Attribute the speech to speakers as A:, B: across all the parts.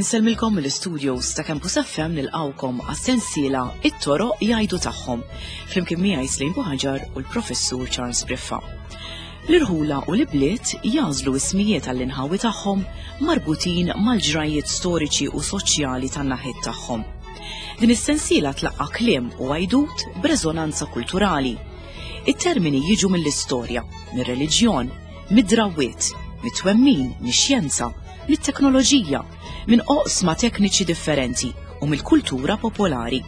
A: Insellmilkom mill-istudios ta' Campus FM nilqawkom għas-sensiela It-toroq jgħidu tagħhom flimkien miegħi Slim Buħaġar u l-Professur Charles Briffa. L-irħula u l-ibliet jagħżlu ismijiet għall-inħawi tagħhom marbutin mal-ġrajjiet storiċi u soċjali tan-naħiet tagħhom. Din is-sensiela tlaqqa' kliem u għajdut b'reżonanza kulturali. It-termini jiġu mill-istorja, mir-reliġjon, mid-drawwiet, mit-twemmin, mix-xjenza, mit-teknoloġija, minn oqsma tekniċi differenti u mill-kultura popolari.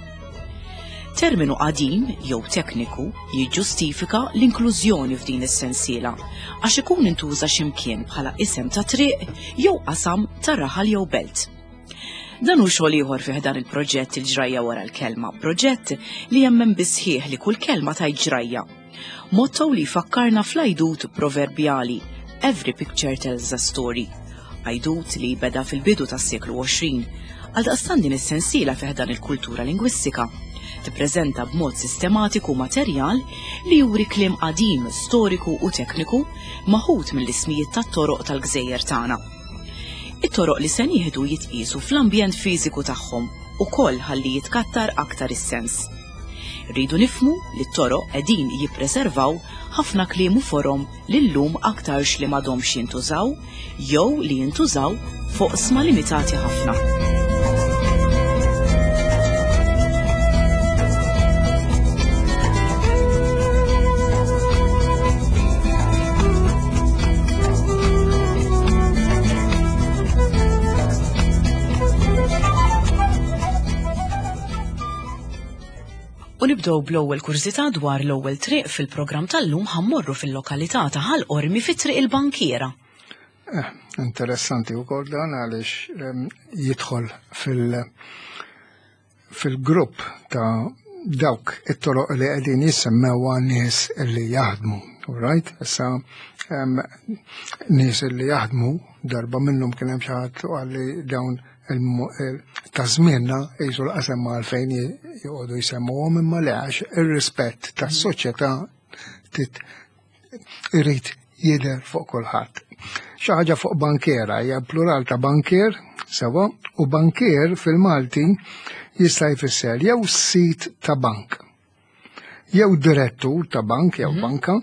A: Terminu qadim jew tekniku jiġġustifika l-inklużjoni f'din is-sensiela għax ikun intuża x'imkien bħala isem ta' triq jew qasam ta' raħal jew belt. Dan hu xogħol ieħor fih dan il-proġett il-ġrajja wara l-kelma, proġett li jemmen bisħieħ li kull kelma tajt ġrajja. Motto li jfakkarna fl-għajdut proverbjali Every picture tells a story. Għajdut li beda fil-bidu tas-seklu 20. Għaldaqstant din is-sensiela fih dan il-kultura lingwistika tippreżenta b'mod sistematiku materjal li juri kliem qadim, storiku u tekniku maħud mill-ismijiet tat-toroq tal-gżejjer tagħna. It-toroq li se nieħdu jitqiesu fl-ambjent fiżiku tagħhom ukoll ħalli jitkattar aktar is-sens. Irridu nifhmu li t-toroq qegħdin jippreservaw ħafna kliem u forom li llum aktarx li m'għadhomx jintużaw jew li jintużaw f'oqsma limitati ħafna. U nibdew bl-ewwel kurżità dwar l-ewwel triq fil-programm tal-lum ħammorru fil-lokalità ta' Ħal Qormi fi Triq il-Bankiera.
B: Eh, interessanti wkoll dan għaliex ehm, jidħol fil- fil-grupp ta' dawk it-toroq li qegħdin jissemmew nies li jaħdmu. Right? Issa ehm, nies li jaħdmu darba minnhom kien hemm xi ħadd li dawn ta' żmienna jisu l-qasem għalfejn joqogħdu jsemmuhom imma le għax ir-rispett tas-soċjetà irid jidher fuq kulħadd. Xi ħaġa fuq bankiera hija plural ta' bankier, sewa, u bankier fil-Malti jista' jfisser jew sit ta' bank, jew direttur ta' bank jew mhm. banka,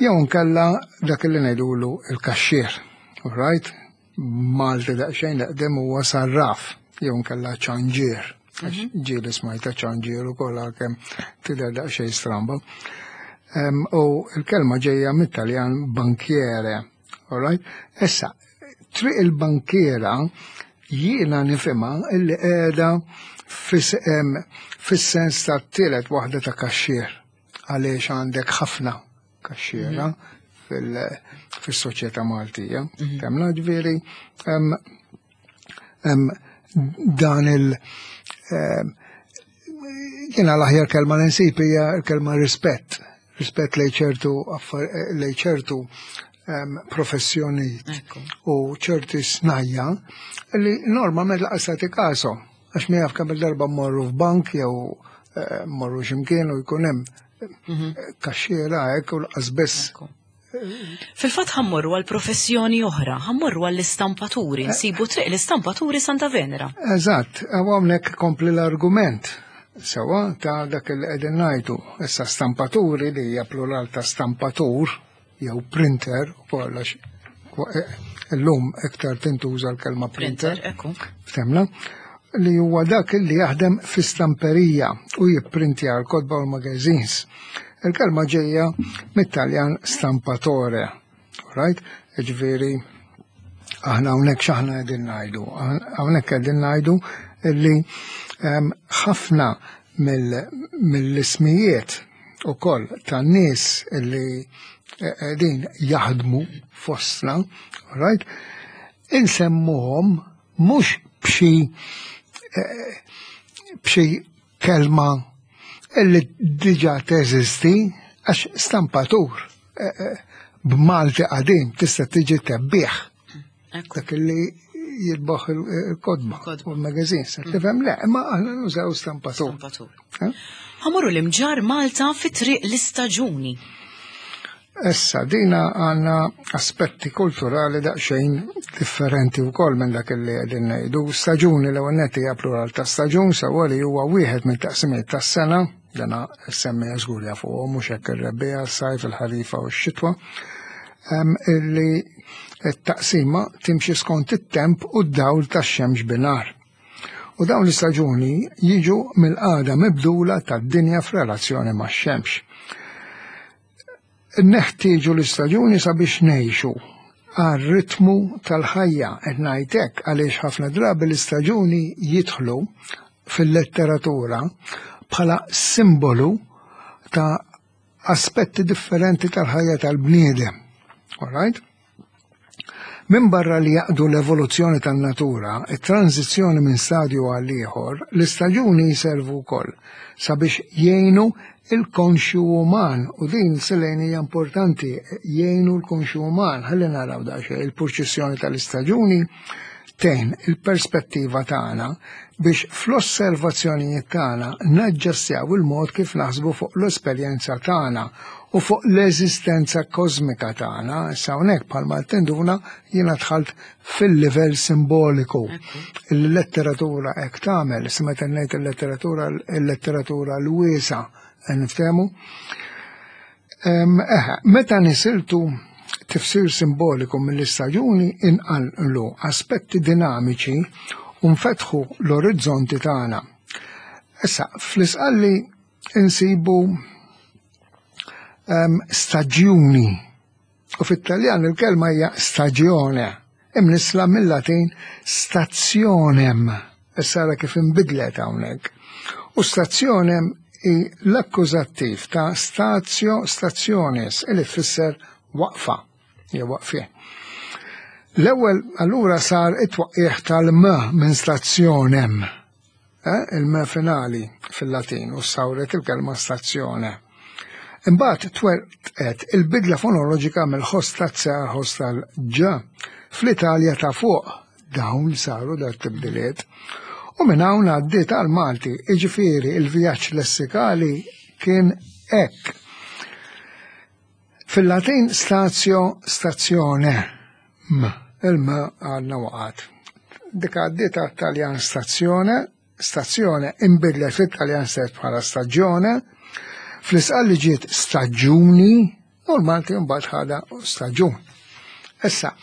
B: jew nkella dak li ngħidulu il-kaxxier. All right? Malti daqsxejn l-eqdem huwa sarraf jew nkella ċanġier. Għax mhm. ġieli smajta ċanġier ukoll għalkemm tidher daqsxejn stramba. U l-kelma ġejja mit-Taljan bankiere. Alright? Issa, triq il-bankiera jiena nifhimha illi qiegħda fis-sens ta' tielet waħda ta' kaxxier għaliex għandek ħafna kaxxiera mhm. fil-soċjetà Maltija. Mhm. Temna ġifieri dan il- jiena l-aħjar kelma li nsib hija l-kelma rispett. Rispett lej ċertu lej ċertu professjonijiet u ċerti snajja li normalment laqas tagħti kasom. Għax mi jaf kemm il-darba mmorru f'bank jew eh, mmorru x'imkien u jkun hemm mhm. kaxxiera hekk u laqas biss.
A: Fil-fatt ħammorru għal professjoni oħra, ħammorru għall istampaturi eh. nsibu triq l-istampaturi Santa Venera.
B: Eżatt, hawnhekk kompli l-argument sewa ta' dak il qegħdin ngħidu. Issa stampaturi li hija plural ta' stampatur jew printer ukoll għax eh, illum iktar tintuża l-kelma printer. Ftemna li huwa dak li jaħdem fi stamperija u jipprintja l-kotba u l-magazines. Il-kelma ġejja mit-Taljan stampatore. Right? Ġifieri aħna hawnhekk x'aħna qegħdin ngħidu. Hawnhekk qegħdin ngħidu li ehm, ħafna mill-ismijiet ukoll ta' nies li qegħdin jaħdmu fostna, right? Insemmuhom mhux b'xi eh, b'xi kelma illi diġà teżisti għax stampatur eh, eh, b'Malti qadim tista' tiġi tebbieħ. Dak li jitbaħ il-kodba u l-magazin. Sa mm. tifhem le, imma aħna nużaw stampatur.
A: Eh? Ħamorru l-imġar Malta fi triq l-istaġuni.
B: Issa, dina għanna aspetti kulturali daqsxejn differenti wkoll minn dak li qegħdin ngħidu. Staġuni l-ewwel nett hija plural ta' staġun sewwa li huwa wieħed minn taqsimiet tas-sena, dana semmija żgur jafuhom mhux hekk ir-rebbiegħa, s-sajf, il-ħarifa u x-xitwa. Illi t-taqsima timxi skont it-temp u d-dawl tax-xemx binhar. U dawn l-istaġuni jiġu mill-qagħda mibdula tad-dinja f'relazzjoni max-xemx. Neħtieġu l-istaġuni sabiex ngħixu għar-ritmu tal-ħajja qed ngħid hekk għaliex ħafna drabi l-istaġuni jidħlu fil-letteratura bħala simbolu ta' aspetti differenti tal-ħajja tal-bniedem. All right? Minbarra li jaqdu l-evoluzzjoni tan-natura, it-tranżizzjoni minn stadju għal ieħor, l-istaġuni jservu wkoll sabiex jgħinu il-konxju uman u din Selene hija importanti jgħinu l-konxju uman ħalli naraw daqsxejn il-purċissjoni tal-istaġuni tgħin il-perspettiva tagħna biex fl-osservazzjonijiet tagħna naġġastjaw il-mod kif naħsbu fuq l-esperjenza tagħna u fuq l-eżistenza kosmika tagħna. Issa hawnhekk bħalma tinduna jiena dħalt fil-livell simboliku. Il-letteratura hekk tagħmel, issa meta ngħid il-letteratura il-letteratura l-wiesa' niftehmu. Meta nisiltu tifsir simboliku mill-istaġuni inqanqlu aspetti dinamiċi u nfetħu l-orizzonti tagħna. Issa, fl-isqalli insibu staġjuni u fit-Taljan il-kelma hija stagione, imnissla mill-Latin stationem. Issa ara kif inbidlet hawnhekk. U stationem hi l-akkużattiv ta' statio stationis li tfisser waqfa jew waqfien. L-ewwel allura sar it-twaqqigħ tal-m minn stationem. Eh, il-m finali fil-Latin u sawret il-kelma stazzjone. Imbagħad twertqet il-bidla fonoloġika mill-ħoss ta' għal ħoss tal-ġ fl-Italja ta' fuq dawn saru dar tibdiliet. U minn hawn għaddiet għal Malti, iġifieri il-vjaġġ lessikali kien hekk. Fil-Latin statio stazione, m, il-m għadna waqgħet. Dik għaddiet għat-Taljan stazione, stazione inbidlet fit-Taljan stess bħala stagione, fl-Isqalli ġiet staġuni u l-Malti mbagħad ħadha staġun. Issa,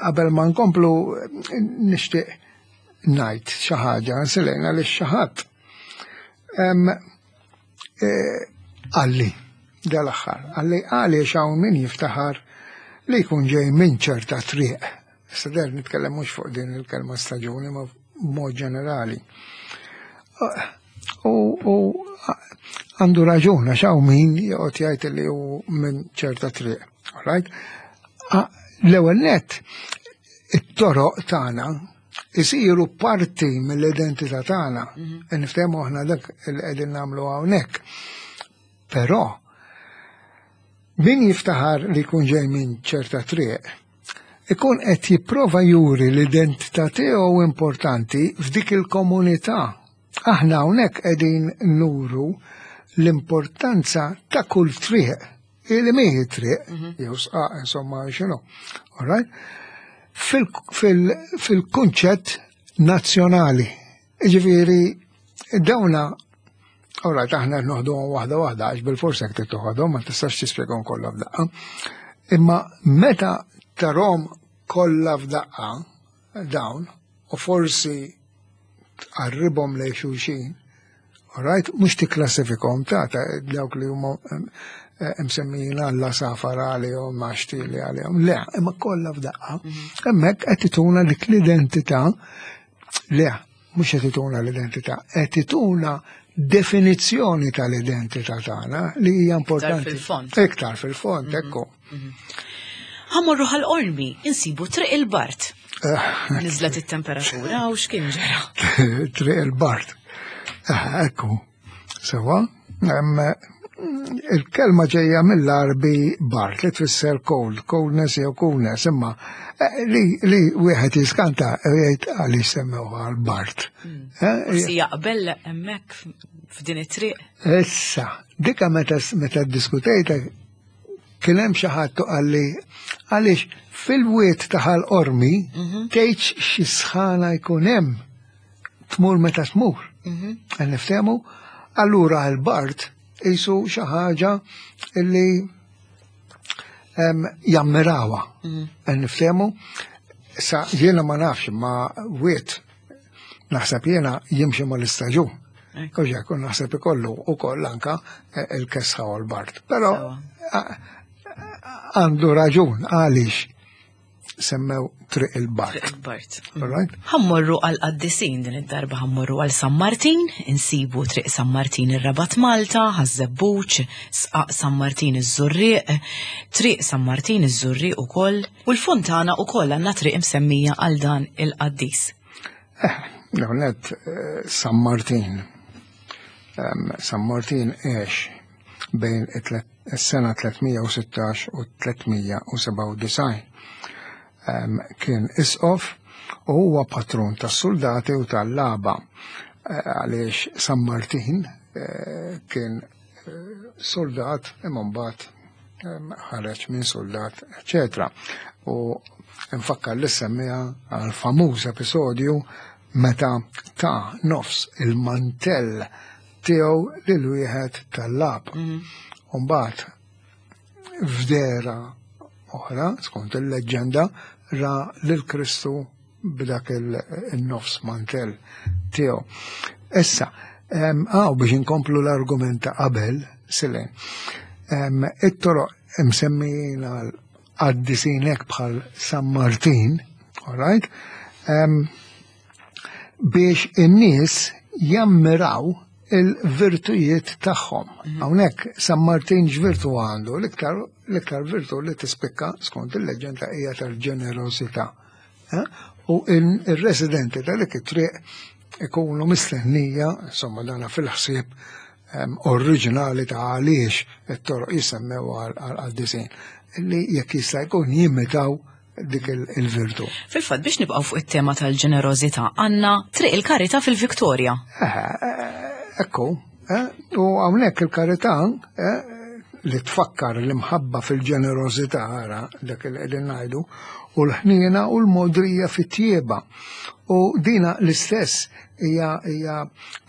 B: qabel ma nkomplu nixtieq ngħid xi ħaġa nsilejna li xi ħadd Għalli, dal-aħħar, għalli għaliex hawn min jiftaħar li jkun ġej minn ċerta triq. Issa der nitkellem mhux fuq din il-kelma staġuni ma mod ġenerali. U għandu raġun għax hawn min joqgħod jgħid li hu minn ċerta triq. Alright? L-ewwel nett it-toroq tagħna isiru parti mill-identità tagħna. Mhm. Niftehmu aħna dak li qegħdin nagħmlu hawnhekk. Però min jiftaħar li jkun ġej minn ċerta triq, ikun qed jipprova juri l-identità tiegħu importanti f'dik il-komunità. Aħna hawnhekk qegħdin nuru l-importanza ta' kull triq Ili miħi triq, mhm. jew sqaq, insomma, xinu. All right? Fil-kunċett nazzjonali. Ġifieri, dawna, all right, aħna noħduhom waħda waħda, għax bil-forsa jekk toħodhom, ma tistax tispjegahom kollha f'daqqa. Imma meta tarhom kollha f'daqqa dawn, u forsi tqarribhom lejn xulxin, alright, mhux tikklassifikhom ta' dawk li huma eh, msemmijin għalla safar għalihom, għaxtili għalihom, le, imma kollha f'daqqa. Mhm. Hemmhekk qed ituna dik l-identità, le, mhux qed ituna l-identità, qed ituna definizzjoni tal-identità tagħna li hija importanti.
A: Iktar fil-fond.
B: Iktar fil-fond, mhm. ekku. Mhm.
A: Ħamorru ħal-qormi, insibu triq il-Bart. Eh. Nizlet it-temperatura u x'kien ġara?
B: Triq il-Bart. Eh, ekku, sewa, Il-kelma ġejja mill-Arbi bart li tfisser cold, coldness jew coolness, imma eh, li, li wieħed jiskanta jgħid għaliex semmew għal bart.
A: Hmm. Eh, Forsi jaqbel hemmhekk f'din it-triq.
B: Issa, dika meta meta ddiskutejta kien hemm xi ħadd qalli għaliex fil-wied ta' Ħal Qormi mhm. tgħidx xi sħana jkun hemm tmur meta tmur. Mhm. Niftehmu, allura l-bart jisu xi ħaġa illi jammirawa. Mhm. Niftehmu, sa jiena ma nafx ma wiet naħseb jiena jimxi mal-istaġun. Uġa, kun naħseb ikollu u koll anka eh, il-kesħa u l-bart. Pero għandu raġun għaliex semmew Triq il-Bart.
A: Triq il-Bart. Right? Ħammorru għal qaddisin din id-darba ħammorru għal San Martin, insibu Triq San Martin ir-Rabat Malta, Ħaż-Żebbuġ, Sqaq San Martin iż-Żurrieq, Triq San Martin iż-Żurrieq ukoll, u l-Fontana ukoll għandna triq imsemmija għal dan il-qaddis.
B: Eh, l-ewwel eh, San Martin. San Martin għex bejn is-sena 316 u 397. Kien isqof u huwa patrun tas-suldati u tal-laba eh, għaliex San Martin eh, kien eh, soldat imma mbagħad ħareġ minn soldat, eċetera. U nfakkar li semmija għal famuż episodju meta ta' nofs il-mantell tiegħu lil wieħed tal-lab. Mhm. U mbagħad f'dehra oħra, skont il-leġġenda, ra lil Kristu b'dak il-nofs mantell tiegħu. Issa, għaw biex inkomplu l-argument ta' qabel, Silen, it-toroq msemmijin għal qaddisin hekk bħal San Martin, all right? Biex in-nies jammiraw il-virtujiet tagħhom. Mhm. Hawnhekk San Martin x'virtu għandu? L-iktar l-iktar virtu li tispikka skont il-leġenda hija tal-ġenerożità. Eh? U il-residenti ta' dik it-triq ikunu mistennija, insomma dana fil-ħsieb ehm, oriġinali ta' għaliex it-toroq jisemmew għal-qaddisin, li jekk jista' jkun jimitaw dik il-virtu.
A: Fil-fatt biex nibqgħu fuq it-tema tal-ġenerożità għandna Triq il-Karità fil-Viktorja.
B: Eh, eh, ekku, eh, u hawnhekk il-karità li tfakkar l-imħabba fil-ġenerożità ara dak li qegħdin ngħidu u l-ħniena u l-modrija fit-tjieba. U dina l-istess hija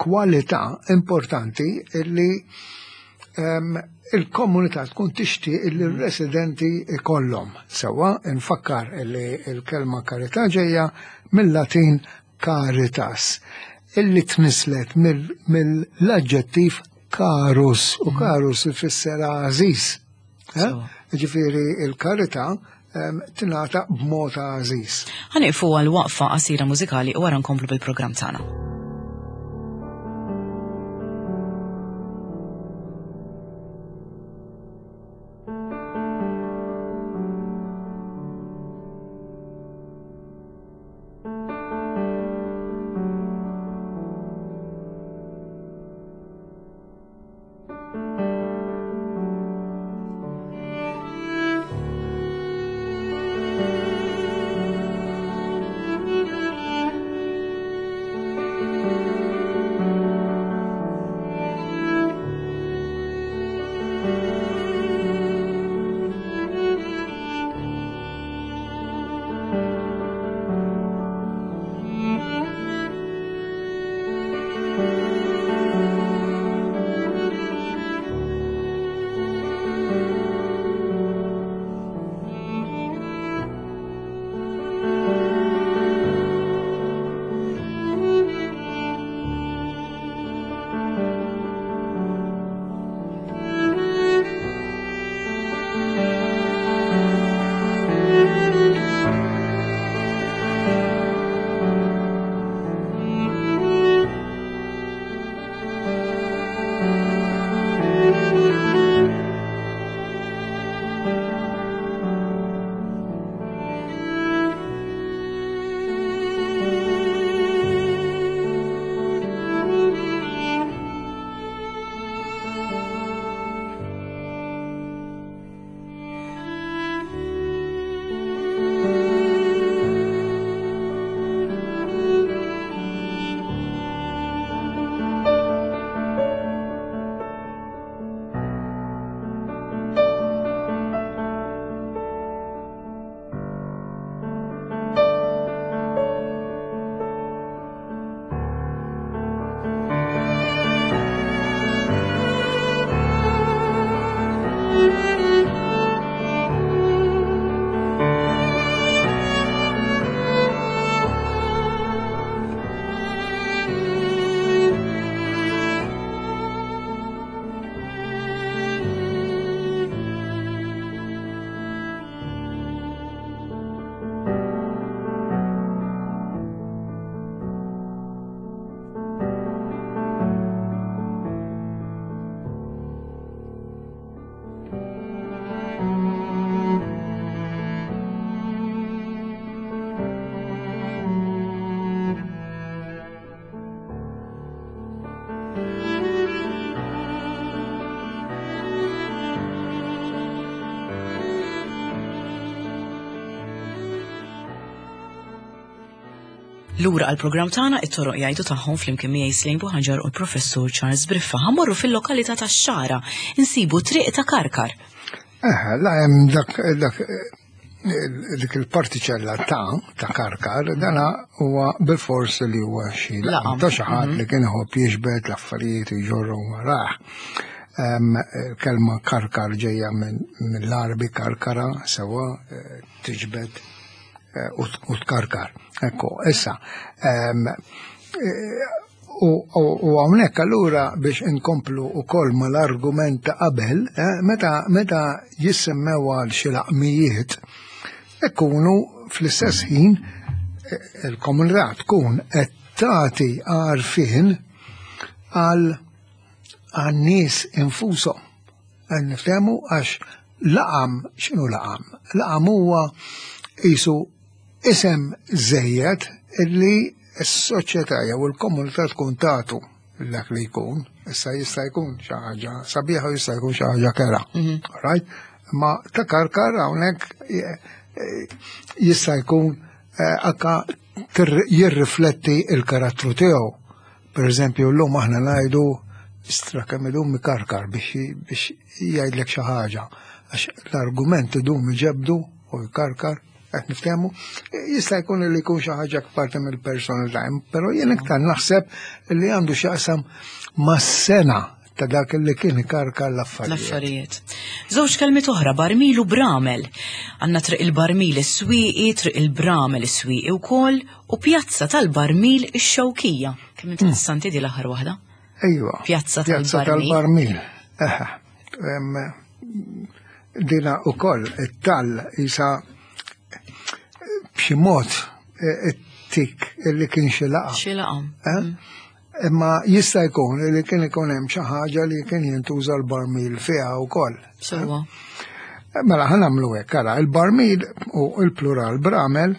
B: kwalità importanti li il-komunità tkun tixtieq li r-residenti ikollhom. Sewwa nfakkar li l-kelma karità ġejja mill-Latin caritas, illi tnislet mill-aġġettiv karus, u karus ifisser għażiż. Eh? Ġifieri il-karità tingħata b'mod għażiż.
A: Ħanieqfu għal waqfa qasira mużikali u wara nkomplu bil-programm tagħna. Lura għall-programm tagħna it-toroq jgħidu tagħhom flimkien miegħi Slejn Buħaġar u l-Professur Charles Briffa. Ħammorru fil-lokalità tax-Xagħra, insibu triq ta' Karkar.
B: Eh, la hemm dak dak dik il-partiċella ta' ta' Karkar, dana huwa bil-fors li huwa xi laqam ta' xi ħadd li kien iħobb jiġbed l-affarijiet jġorru warah. Kelma Karkar ġejja mill-Għarbi karkara sewa eh, tiġbed eh, u tkarkar. Ekku, issa, eh, u hawnhekk allura biex inkomplu wkoll mal-argument ta' qabel, eh, meta meta jissemmew għal xi laqmijiet, ikunu fl-istess ħin il-komunità tkun qed tagħti għarfien għal għan-nies infushom. Għan niftehmu għax laqam, x'inhu laqam? Laqam huwa qisu isem żejjed illi s-soċjetà jew il-komunità tkun tagħtu dak li jkun, issa jista' jkun xi ħaġa sabiħa u jista' jkun xi ħaġa kera. Mhm. Right? Ma ta' karkar hawnhekk eh, eh, jista' jkun eh, anka jirrifletti il-karattru tiegħu. Per eżempju, llum aħna ngħidu istra kemm idum ikarkar biex biex jgħidlek xi ħaġa. Għax l-argument idum iġebdu u jkarkar, qed niftehmu, jista' jkun li jkun xi ħaġa parti mill-personalità, però jien iktar naħseb li għandu x'jaqsam mas-sena ta' dak li kien ikarkar l-affarijiet.
A: L-affarijiet. Żewġ kelmiet oħra, barmil u bramel. Għandna triq il-barmil is-swieqi, triq il-bramel is-swieqi wkoll, u pjazza tal-barmil ix-xewkija. Kemm interessanti di l-aħħar waħda.
B: Ejwa.
A: Pjazza
B: tal-barmil. Dina u koll, it-tal jisa b'xi mod e, it-tik li kien xi laqa.
A: Xi laqa. Eh? Mm.
B: Imma jista' jkun li kien ikun hemm xi ħaġa li kien jintuża l-barmil fiha wkoll.
A: Sewwa.
B: Mela ħa nagħmlu hekk, ara, il-barmil u l-plural bramel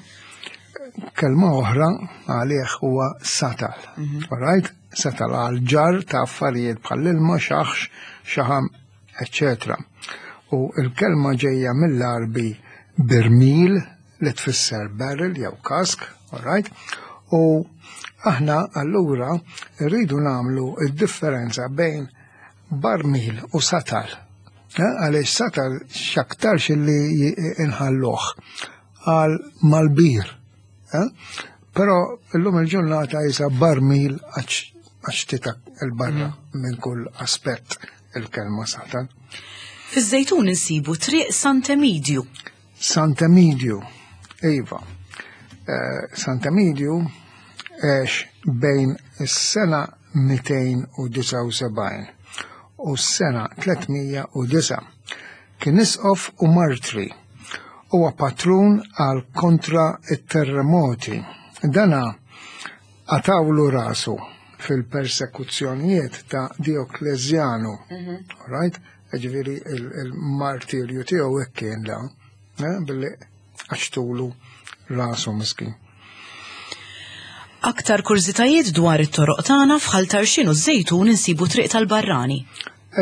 B: kelma oħra għalih huwa satal. Mhm. All right? Satal għal ġar ta' affarijiet bħall-ilma, xaħx, xaħam, eccetera. U l-kelma ġejja mill-Arbi birmil li tfisser barrel jew kask, all right? U aħna allura rridu nagħmlu d-differenza bejn barmil u satal. Eh, għaliex satal x'aktarx li inħalluh għal malbir. Eh? Però llum il-ġurnata jisa barmil għax titak il-barra mm. minn kull aspett il-kelma satal.
A: Fiż-Żejtun insibu triq Sant'Emidju.
B: Sant'Emidju, iva. Eh, Sant'Emidju għex bejn is-sena 279 u s-sena 309. Kien isqof u martri. Huwa patrun għal kontra it-terremoti. Dana qatawlu rasu fil-persekuzzjonijiet ta' Dioklezjanu. Mhm. Right? Ġifieri il-martirju tiegħu hekk kien da, eh, billi għaxtulu rasu miskin.
A: Aktar kurżitajiet dwar it-toroq tagħna f'Ħal Tarxien u ż-Żejtun insibu triq tal-Barrani.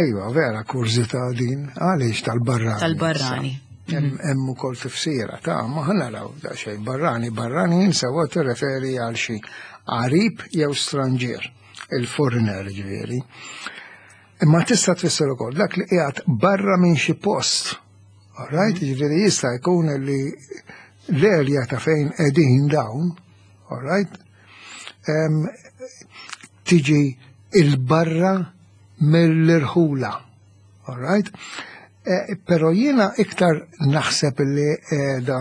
B: Ejwa, vera kurżità din, għaliex tal-Barrani?
A: Tal-Barrani.
B: Hemm ukoll tifsira ta' ma naraw daqsxejn barrani, barrani sewwa tirreferi għal xi qarib jew stranġier, il-foreigner ġifieri. Imma tista' tfisser ukoll dak li qiegħed barra minn xi post. All right, mhm. ġifieri jista' jkun li l-erja ta' fejn qegħdin dawn, all right, tiġi il-barra mill-irħula. All right? Eh, pero jiena iktar naħseb li qiegħda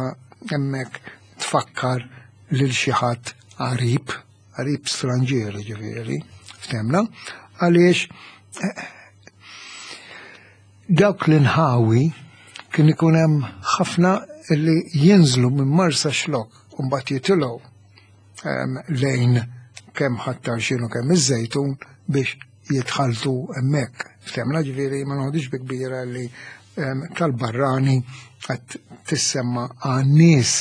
B: hemmhekk tfakkar lil xi ħadd qarib qarib stranġier ġifieri, ftemna, għaliex eh, dawk l-inħawi kien ikun hemm ħafna li jinżlu minn Marsa Xlok u mbagħad jitilgħu ehm, lejn kemm ħattar xinu kemm iż-żejtun biex jitħaltu hemmhekk. Ftemna ġifieri ma noħodix bi kbira li ehm, tal-barrani qed tissemma għan-nies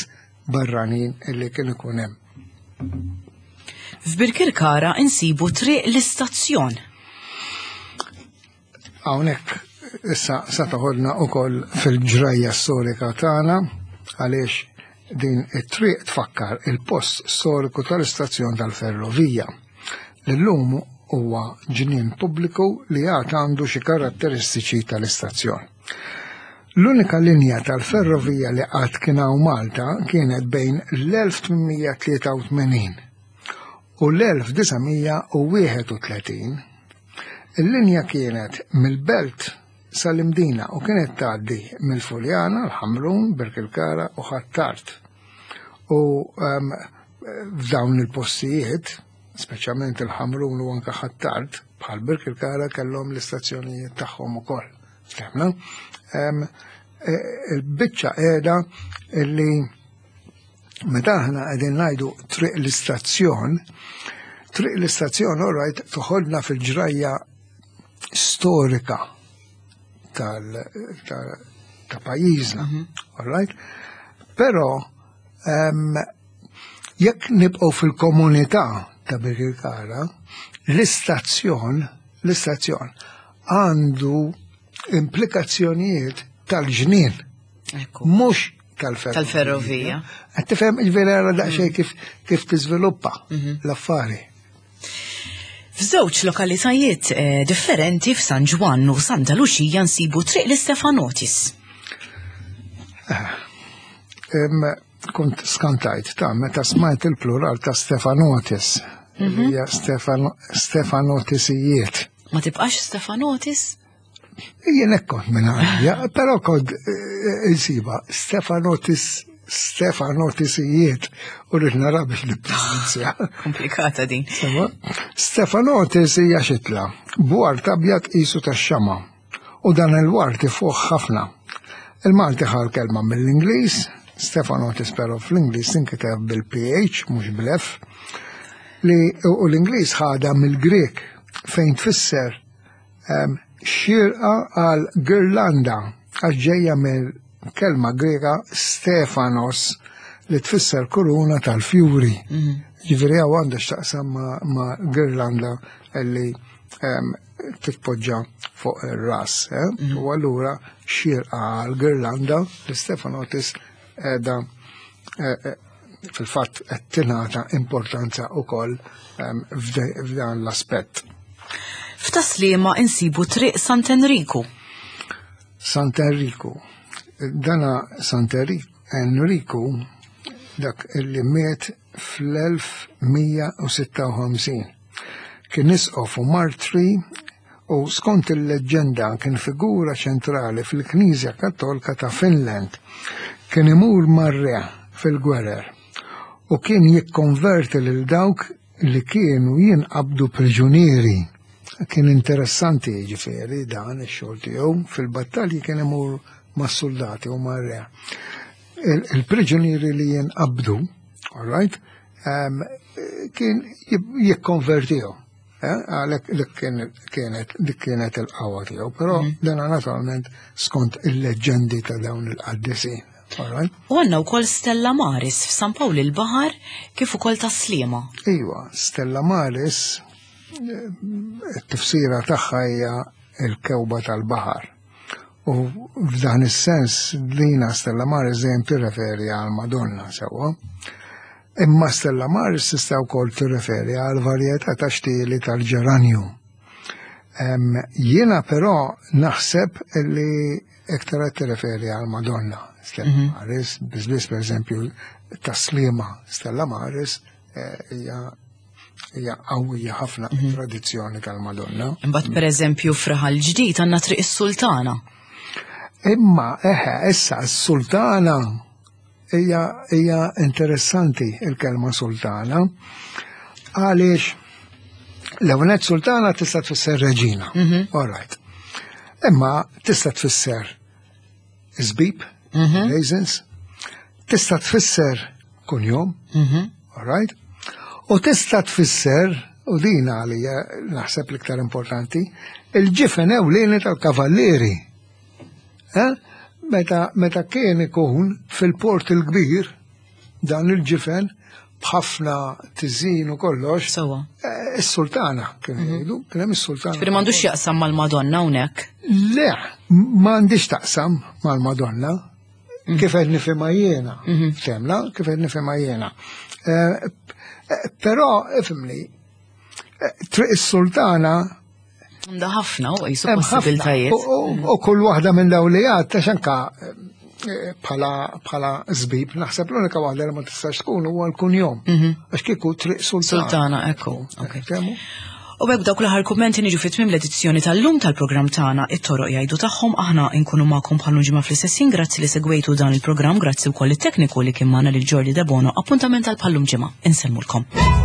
B: barranin illi kien ikun hemm.
A: F'Birkirkara insibu triq l-istazzjon.
B: Hawnhekk issa sa toħodna wkoll fil-ġrajja storika tagħna għaliex Din it-triq tfakkar il-post storiku tal-istazzjon tal-ferrovija. L-lum huwa ġnien pubbliku li għad għandu xi karatteristiċi tal-istazzjon. L-unika linja tal-ferrovija li qatt kien hawn Malta kienet bejn l-1883 u l-1931. Il-linja kienet mill-Belt sal-Imdina u kienet tgħaddi mill-Fuljana, l-Ħamrun, Birkirkara u Ħ'Attard. U um, f'dawn il-postijiet, speċjalment il-Ħamrun u anke Ħ'Attard, bħal Birkirkara kellhom l-istazzjonijiet tagħhom ukoll. Ftemna? E, il-biċċa qiegħda illi meta aħna qegħdin ngħidu triq l-istazzjon, triq l-istazzjon all right toħodna fil-ġrajja storika tal, ta' pajjiżna, mhm. all right? Però jekk nibqgħu fil-komunità ta' Birkirkara, l-istazzjon, l-istazzjon għandu implikazzjonijiet tal-ġnien. Mhux tal-ferrovija.
A: Tal-ferrovija.
B: Qed tifhem il-vera daqsxejn mm. kif kif tiżviluppa mhm. l-affari.
A: F'żewġ lokalitajiet eh, differenti f'San Ġwann u Santa Luċija nsibu triq l-Istefanotis.
B: Eh, kont skantajt ta' meta smajt il-plural ta' Stefanotis. Mhm. Hija Stefanotisijiet.
A: Ma tibqax Stefanotis?
B: Jien hekk kont minn għalija, però kont eh, insiba Stefanotis Stefanotisijiet u rrid nara biex nippronunzja.
A: Komplikata din.
B: Stefanotis hija xitla, bwar tabjad qisu tax-xama' u dan il-ward ifuħ ħafna. Il-Malti ħa l-kelma mill-Ingliż, Stefanotis però fl-Ingliż tinkiteb bil-PH mhux bl-F, li u l-Ingliż ħadha mill-Grieg fejn tfisser ehm, xirqa għal girlanda għax ġejja mill-kelma Griega Stefanos li tfisser kuruna tal-fjuri. Mhm. Ġifieri hawn għandha x'taqsam ma' girlanda li ehm, titpoġġa fuq ir-ras. Eh? Mm. U allura xirqa għal Girlanda li Stefanotis edha eh, eh, fil-fatt qed tingħata importanza wkoll ehm, f'dan l-aspett.
A: F'taslima insibu triq Sant'Enriku.
B: Sant'Enriku. Dana Sant'Enriku dak illi miet fl-1156. Kien isqof u martri u skont il-leġġenda kien figura ċentrali fil-Knisja Kattolka ta' Finland. Kien imur mar-re fil-gwerer u kien jikkonverti lil dawk li kienu jinqabdu priġunieri. Kien interessanti jiġifieri dan ix-xogħol tiegħu fil-battalji kien imur mas-suldati u mar-re. Il-priġunieri li jinqabdu, all right, kien jikkonvertihom. Eh, għalhekk dik kienet dik kienet il-qawwa tiegħu, però mhm. dan naturalment skont il-leġġendi ta' dawn il-qaddisin.
A: U għandna wkoll Stella Maris f'San Pawl il-Baħar kif ukoll ta' Sliema.
B: Iva, Stella Maris eh, it-tifsira tagħha hija il-kewba tal-baħar. U f'dan is-sens dina Stella Maris dejjem tirreferi għal Madonna sewwa. Imma Stella Maris tista' wkoll tirreferi għal varjetà ta' xtieli tal-ġeranju. Jiena però naħseb li iktar qed tirreferi għal Madonna Stella mhm. Maris, biżbiss pereżempju taslima Stella Maris eh, hija hija qawwija ħafna mhm. tradizzjoni tal-Madonna.
A: Imbagħad pereżempju f'Raħal Ġdid għandna Triq is-Sultana.
B: Imma eħe issa s-Sultana hija hija interessanti il-kelma sultana għaliex l-ewwel sultana tista' tfisser reġina. Mhm. All right. Imma tista' tfisser żbib, mhm. raisins, tista' tfisser kunjom, mhm. all right? U tista' tfisser, u din għalija naħseb l-iktar importanti, il-ġifen ewlieni tal-kavallieri. Eh? Meta, meta kien ikun fil-port il-kbir, dan il-ġifen b'ħafna tiżin u kollox.
A: Sewa.
B: Eh, is-sultana kien mhm. jgħidu, kien hemm is-sultana.
A: Ġifieri m'għandux jaqsam mal-Madonna hawnhekk.
B: Le, m'għandix taqsam mal-Madonna. Kif qed nifhimha jiena, femla, kif qed nifhimha jiena. Eh, eh, però ifhimni, eh, Triq is-Sultana
A: Għandha ħafna u jisu possibiltajiet.
B: U kull waħda minn dawn li għad, għax anka bħala bħala żbib, naħseb l-unika waħda li ma tistax tkun huwa l-kunjom. Għax kieku Triq Sultana.
A: Sultana, ekku. U b'hekk dawk l-aħħar kummenti niġu fi tmiem l-edizzjoni tal-lum tal-programm tagħna It-Toroq Jgħidu Tagħhom. Aħna nkunu magħkom bħal ġimgħa fl-istess ħin. Grazzi li segwejtu dan il-programm, grazzi wkoll it-tekniku li kien magħna lil Jordi Debono. Appuntament għal bħal ġimgħa. Insellmulkom.